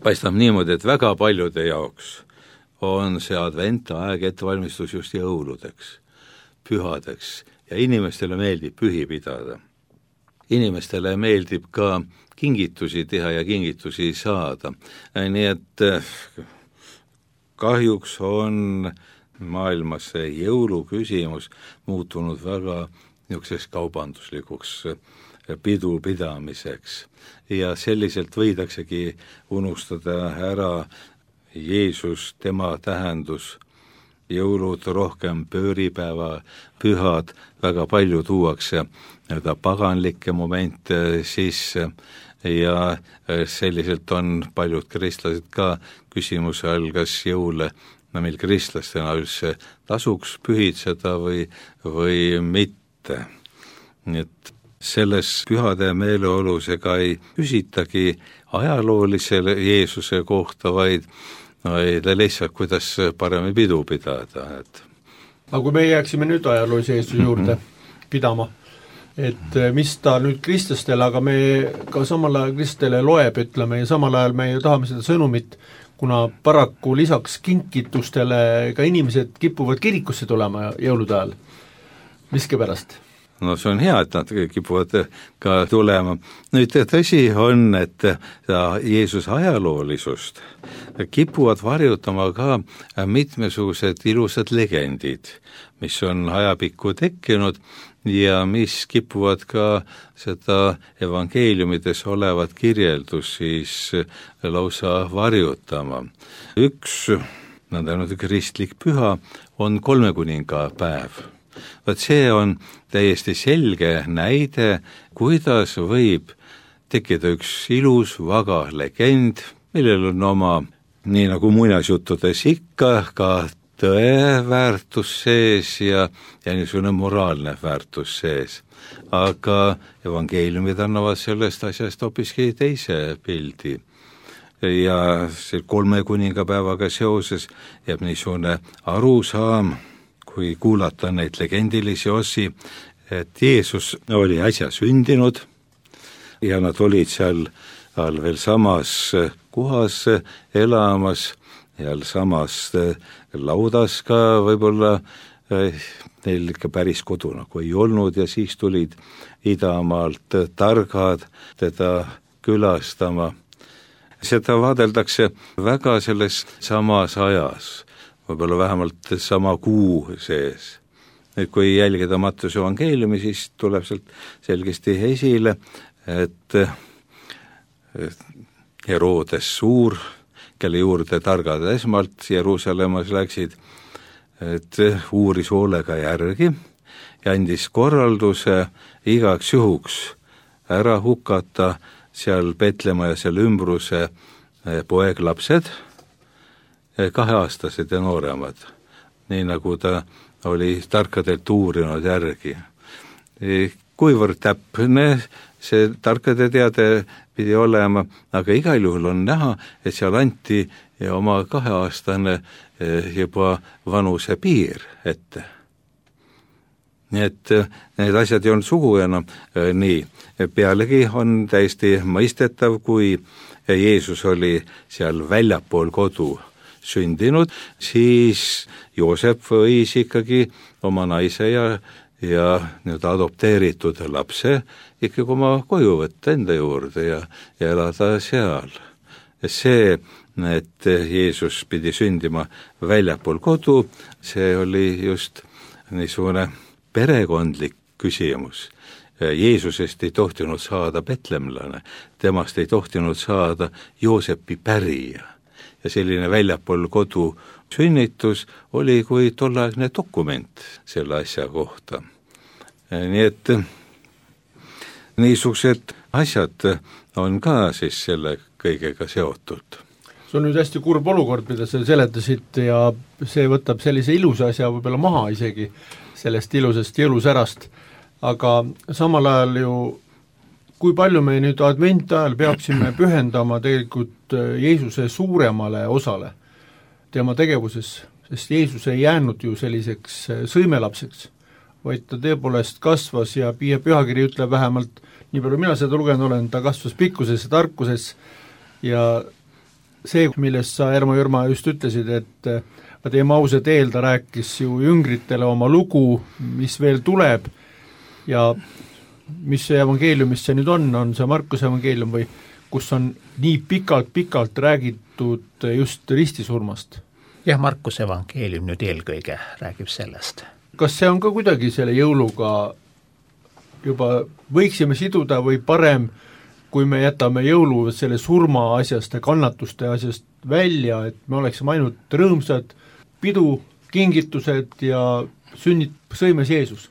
Paistab niimoodi, et väga paljude jaoks on see adventaeg ettevalmistus just jõuludeks, pühadeks ja inimestele meeldib pühi pidada. Inimestele meeldib ka kingitusi teha ja kingitusi saada. Nii et kahjuks on maailmas see jõuluküsimus muutunud väga niisuguseks kaubanduslikuks pidamiseks ja selliselt võidaksegi unustada ära Jeesus, tema tähendus, jõulud rohkem pööripäeva, pühad, väga palju tuuakse paganlikke momente sisse ja selliselt on paljud kristlased ka küsimuse all, kas jõule meil kristlastena üldse tasuks pühitseda või mitte. Nii et selles pühade meeleolus ega ei küsitagi ajaloolisele Jeesuse kohta, vaid lihtsalt, kuidas paremini pidu pidada. Aga kui me jääksime nüüd ajaloolise Jeesuse juurde pidama, et mis ta nüüd kristlastele, aga me ka samal ajal kristlastele loeb, ütleme, ja samal ajal me ju tahame seda sõnumit, kuna paraku lisaks kinkitustele ka inimesed kipuvad kirikusse tulema jõulude ajal. Miskipärast? No see on hea, et nad kipuvad ka tulema. Nüüd tõsi on, et Jeesuse ajaloolisust kipuvad varjutama ka mitmesugused ilusad legendid, mis on ajapikku tekkinud ja mis kipuvad ka seda evangeeliumides olevat kirjeldus siis lausa varjutama. Üks nõnda kristlik püha on kolmekuningapäev. Vaat see on täiesti selge näide, kuidas võib tekkida üks ilus, vaga legend, millel on oma, nii nagu muinasjuttudes ikka, ka tõeväärtus sees ja niisugune moraalne väärtus sees. Aga evangeeliumid annavad sellest asjast hoopiski teise pildi. Ja see kolmekuningapäevaga seoses jääb niisugune arusaam, kui kuulata neid legendilisi osi, et Jeesus oli äsja sündinud ja nad olid seal veel samas kohas elamas ja samas laudas ka võib-olla neil ikka päris kodu nagu ei olnud ja siis tulid idamaalt targad teda külastama. Seda vaadeldakse väga selles samas ajas, võib-olla vähemalt sama kuu sees. Nüüd, kui jälgida Mattuse evangeeliumi, siis tuleb sealt selgesti esile, et Herodes suur, kelle juurde targad esmalt Jeruusalemmas läksid, et uuris hoolega järgi ja andis korralduse igaks juhuks ära hukata seal Petlemma ja seal ümbruse poeglapsed, 2-aastased ja nooremad, nii nagu ta oli tarkadelt uurinud järgi. Kuivõrd täpne see tarkade teade pidi olema, aga igal juhul on näha, et seal anti oma 2-aastane juba vanuse piir ette. Nii et need asjad ei olnud sugu enam nii. Pealegi on täiesti mõistetav, kui Jeesus oli seal väljapool kodu sündinud, siis Joosep võis ikkagi oma naise ja nüüd adopteeritud lapse ikkagi oma koju võtta enda juurde ja elada seal. See, et Jeesus pidi sündima väljapool kodu, see oli just niisugune perekondlik küsimus. Jeesusest ei tohtinud saada betlemlane, temast ei tohtinud saada Joosepi pärija. Ja selline väljapool kodu sünnitus oli kui tolleaegne dokument selle asja kohta. Nii et niisugused asjad on ka siis selle kõigega seotud. See on nüüd hästi kurb olukord, mida sa seletasid ja see võtab sellise ilusa asja võib-olla maha isegi sellest ilusast jõulusärast, aga samal ajal ju kui palju me nüüd adventi ajal peaksime pühendama tegelikult Jeesuse suuremale osale tema tegevuses, sest Jeesus ei jäänud ju selliseks sõimelapseks, vaid ta tõepoolest kasvas ja pühakiri ütleb vähemalt, nii palju mina seda lugenud olen, ta kasvas pikkuses ja tarkuses ja see, millest sa, Ermo Jürma, just ütlesid, et Emmause teel ta rääkis ju jüngritele oma lugu, mis veel tuleb ja mis see evangeeliumist see nüüd on see Markuse evangeelium või kus on nii pikalt räägitud just ristisurmast? Jah, Markuse evangeelium nüüd eelkõige räägib sellest. Kas see on ka kuidagi selle jõuluga juba võiksime siduda või parem, kui me jätame jõulu selle surma asjast ja kannatuste asjast välja, et me oleksime ainult rõõmsad, pidu, kingitused ja sõimes Jeesus?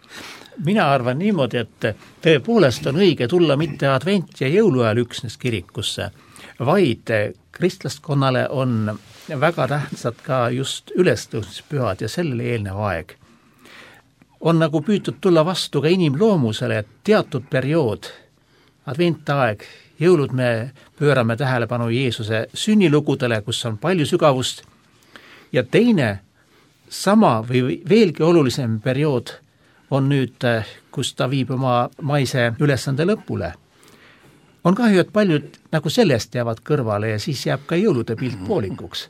Mina arvan niimoodi, et tõepoolest on õige tulla mitte advent ja jõuluajal üksnes kirikusse, vaid kristlaskonnale on väga tähtsad ka just ülestõusmispühad ja sellele eelnev aeg. On nagu püütud tulla vastu ka inimloomusele, et teatud periood, adventaeg, jõulud me pöörame tähelepanu Jeesuse sünnilugudele, kus on palju sügavust, ja teine sama või veelgi olulisem periood on nüüd, kus ta viib oma maise ülesande lõpule. On kahju, et paljud nagu sellest jäävad kõrvale ja siis jääb ka jõulude pilt poolikuks.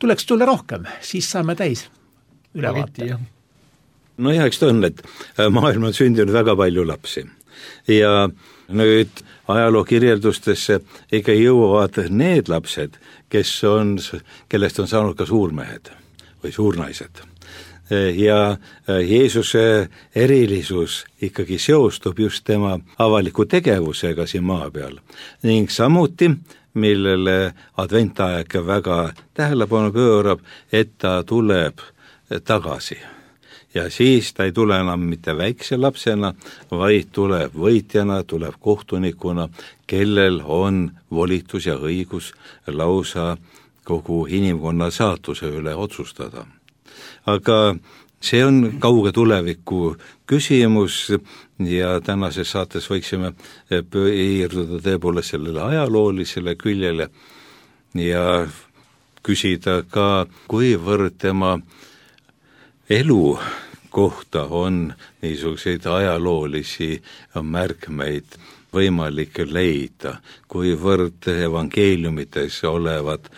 Tuleks tulla rohkem, siis saame täis ülevaate. No ja eks ta on, et maailma on sündinud väga palju lapsi ja nüüd ajaloo kirjeldustesse ikka jõuavad need lapsed, kellest on saanud ka suurmehed või suurnaised. Ja Jeesuse erilisus ikkagi seostub just tema avaliku tegevusega siin maa peal ning samuti, millele adventaeg väga tähelepanu pöörab, et ta tuleb tagasi. Ja siis ta ei tule enam mitte väikse lapsena, vaid tuleb võitjana, tuleb kohtunikuna, kellel on volitus ja õigus lausa kogu inimkonna saatuse üle otsustada. Aga see on kauge tuleviku küsimus ja tänases saates võiksime piirduda tõepoolest sellele ajaloolisele küljele ja küsida ka, kuivõrd tema elu kohta on niisuguseid ajaloolisi märkmeid võimalik leida, kuivõrd evangeeliumites olevad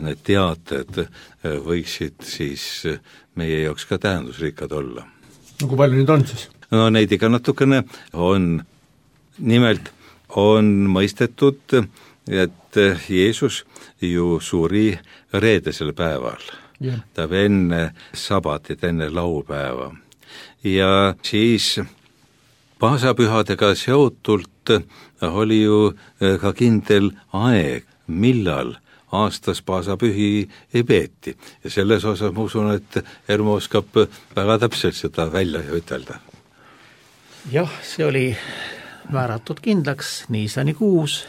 need teated võiksid siis meie jaoks ka tähendusrikkad olla. No kui palju nüüd on siis? No neid ikka natukene on. Nimelt on mõistetud, et Jeesus ju suri reedesel päeval. Yeah. Ta enne sabatit, enne laupäeva. Ja siis paasapühadega seotult oli ju ka kindel aeg, millal aastas paasapühi ei peeti. Ja selles osas ma usun, et Ermo oskab väga täpselt seda välja ütelda. Jah, see oli määratud kindlaks niisanikuus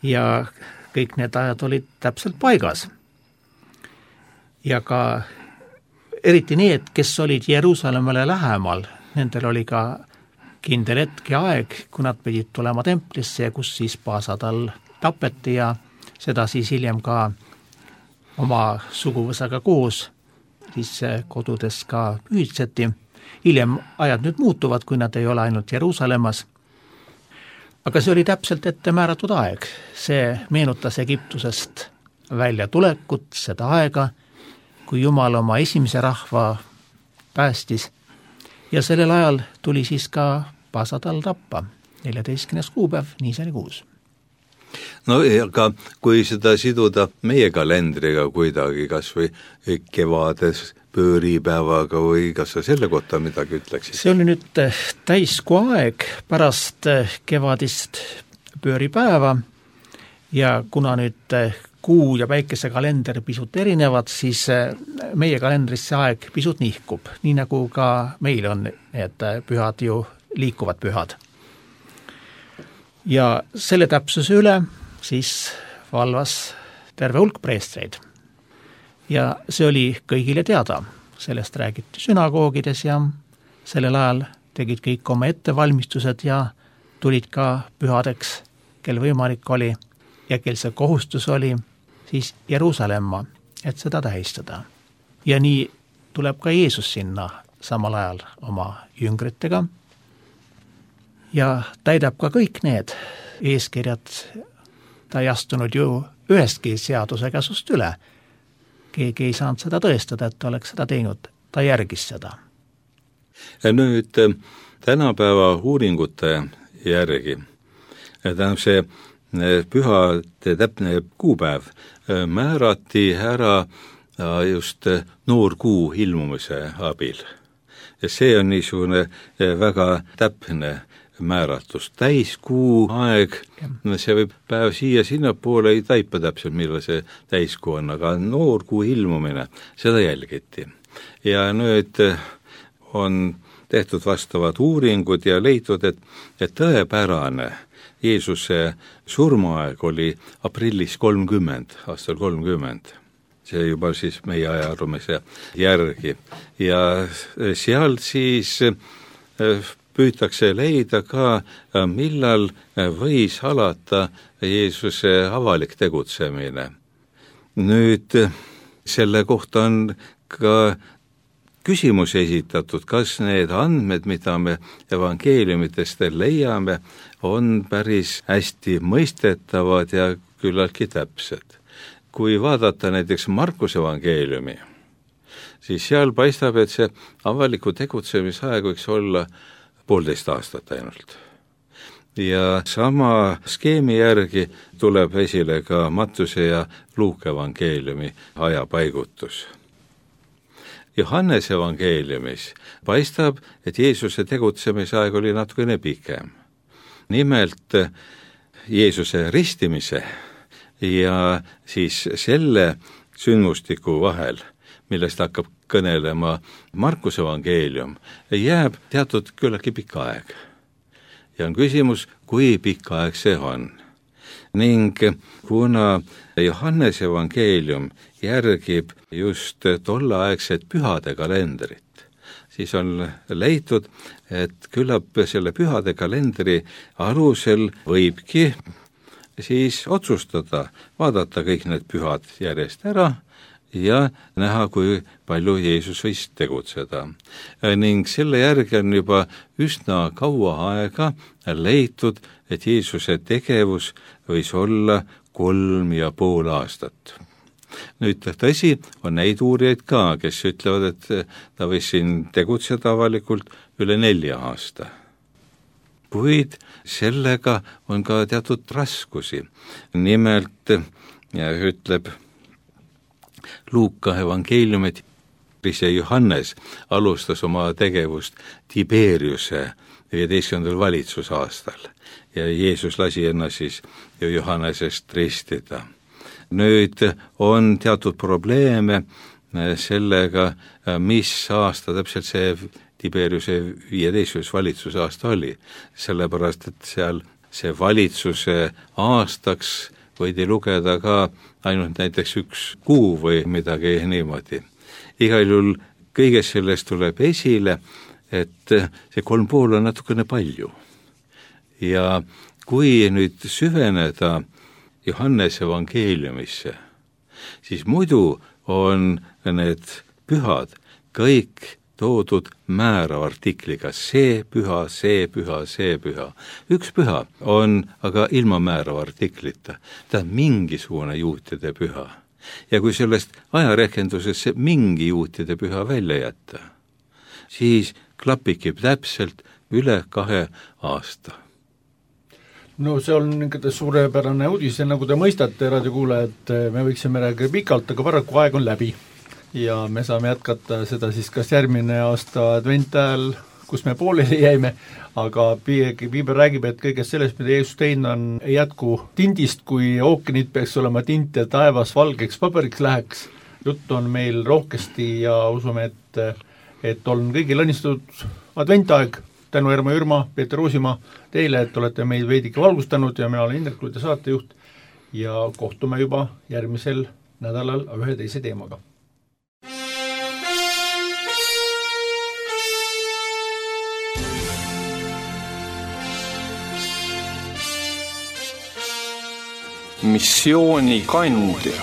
ja kõik need ajad olid täpselt paigas. Ja ka eriti need, kes olid Jeruusalemmale lähemal, nendel oli ka kindel hetk ja aeg, kui nad pidid tulema templisse, kus siis paasatall tapeti ja seda siis hiljem ka oma suguvõsaga koos siis kodudes ka pühitseti. Hiljem ajad nüüd muutuvad, kui nad ei ole ainult Jeruusalemmas. Aga see oli täpselt ette määratud aeg. See meenutas Egiptusest välja tulekut, seda aega, kui Jumal oma esimese rahva päästis. Ja sellel ajal tuli siis ka paasatall tappa, 14. kuupäev, niisanikuus. no aga kui seda siduda meie kalendriga kuidagi, kas või kevades pööripäevaga või kas sa selle kohta midagi ütleksid? See oli nüüd täiskuu aeg pärast kevadist pööripäeva ja kuna nüüd kuu ja päikese kalender pisut erinevad, siis meie kalendris see aeg pisut nihkub, nii nagu ka meil on need pühad ju liikuvad pühad. Ja selle täpsuse üle siis valvas terve hulk preestreid. Ja see oli kõigile teada, sellest räägiti sünagoogides ja sellel ajal tegid kõik oma ettevalmistused ja tulid ka pühadeks, kel võimalik oli ja kel see kohustus oli, siis Jeruusalemma, et seda tähistada. Ja nii tuleb ka Jeesus sinna samal ajal oma jüngritega ja täidab ka kõik need eeskirjad. Ta ei astunud ju ühestki seaduse käsust üle. Keegi ei saanud seda tõestada, et ta oleks seda teinud. Ta järgis seda. Ja nüüd tänapäeva uuringute järgi, tähendab see pühade täpne kuupäev määrati ära just noorkuu ilmumise abil. Ja see on niisugune väga täpne määratus. Täiskuu aeg, see võib päev siia sinnapoole ei taipa täpselt, millal see täiskuu on, aga noorkuu ilmumine, seda jälgiti. Ja nüüd on tehtud vastavad uuringud ja leitud, et tõepärane Jeesuse surmaaeg oli aprillis 30, aastal 30. See juba siis meie ajaarvamise järgi. Ja seal siis püütakse leida ka, millal võis alata Jeesuse avalik tegutsemine. Nüüd selle kohta on ka küsimus esitatud, kas need andmed, mida me evangeeliumitest leiame, on päris hästi mõistetavad ja küllaltki täpsed. Kui vaadata näiteks Markuse evangeeliumi, siis seal paistab, et see avaliku tegutsemisaeg võiks olla 1,5 aastat ainult. Ja sama skeemi järgi tuleb esile ka Mattuse ja Luuka evangeeliumi ajapaigutus. Johannese evangeeliumis paistab, et Jeesuse tegutsemisaeg oli natukene pikem. Nimelt Jeesuse ristimise ja siis selle sündmustiku vahel, millest hakkab kõnelema Markuse evangeelium, jääb teatud küllaltki pikk aeg. Ja on küsimus, kui pikk aeg see on. Ning kuna Johannese evangeelium järgib just tolleaegset pühade kalendrit, siis on leitud, et küllap selle pühade kalendri alusel võibki siis otsustada, vaadata kõik need pühad järjest ära ja näha, kui palju Jeesus võis tegutseda. Ning selle järgi on juba üsna kaua aega leitud, et Jeesuse tegevus võis olla 3,5 aastat. Nüüd tõsi, on neid uurijaid ka, kes ütlevad, et ta võis siin tegutseda avalikult üle 4 aasta. Kuid sellega on ka teatud raskusi. Nimelt ütleb Luuka evangeelium, et Johannes alustas oma tegevust Tiberiuse 15. valitsusaastal ja Jeesus lasi ennast siis Johannesest ristida. Nüüd on teatud probleeme sellega, mis aasta täpselt see Tiberiuse 15. valitsusaasta oli, sellepärast et seal see valitsuse aastaks võidi lugeda ka ainult näiteks 1 kuu või midagi niimoodi. Igal juhul kõigest sellest tuleb esile, et see 3,5 on natukene palju. Ja kui nüüd süveneda Johannese evangeeliumisse, siis muidu on need pühad kõik toodud määrava artikliga, see püha, see püha, see püha. Üks püha on aga ilma määrava artiklita, ta on mingisugune juutide püha. Ja kui sellest ajarehkendusesse mingi juutide püha välja jätta, siis klapikib täpselt üle 2 aasta. No see on niisugune suurepärane uudis ja nagu te mõistate, raadiokuulajad, me võiksime rääkida pikalt, aga paraku aeg on läbi. Ja me saame jätkata seda siis kas järgmine aasta advent ajal, kus me pooleli jäime, aga Piiber räägib, et kõigest sellest, mida Jeesus teinud on, ei jätku tindist, kui ookeanid peaks olema tint ja taevas valgeks paberiks läheks. Jutt on meil rohkesti ja usume, et on kõigil õnnistatud adventaeg. Tänu Ermo Jürma, Peeter Uusimaa teile, et olete meid veidike valgustanud ja mina olen Indrek Luide saatejuht ja kohtume juba järgmisel nädalal ühe teise teemaga. Missiooni kandja.